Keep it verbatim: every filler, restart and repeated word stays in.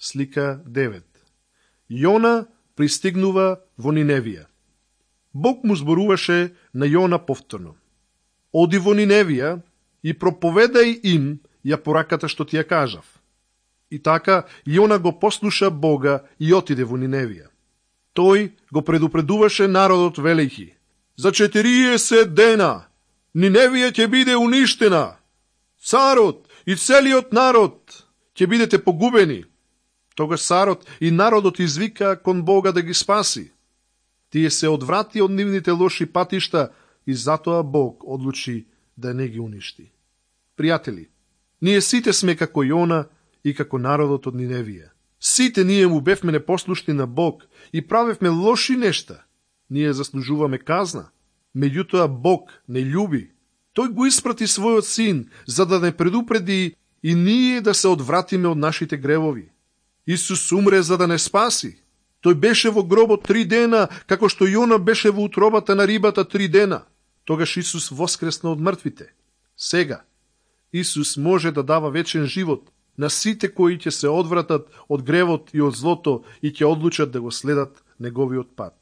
Слика девет. Јона пристигнува во Ниневија. Бог му зборуваше на Јона повторно. Оди во Ниневија и проповедај им ја пораката што ти ја кажав. И така Јона го послуша Бога и отиде во Ниневија. Тој го предупредуваше народот велејќи: за четириесет дена Ниневија ќе биде уништена. Царот и целиот народ ќе бидете погубени. Тогаш царот и народот извика кон Бога да ги спаси. Тие се одврати од нивните лоши патишта и затоа Бог одлучи да не ги уништи. Пријатели, ние сите сме како Јона и како народот од Ниневија. Сите ние му бевме непослушни на Бог и правевме лоши нешта. Ние заслужуваме казна. Меѓутоа Бог не љуби. Тој го испрати својот син за да не предупреди и ние да се одвратиме од нашите гревови. Исус умре за да не спаси. Тој беше во гробот три дена, како што Јона беше во утробата на рибата три дена. Тогаш Исус воскресна од мртвите. Сега, Исус може да дава вечен живот на сите кои ќе се одвратат од гревот и од злото и ќе одлучат да го следат неговиот пат.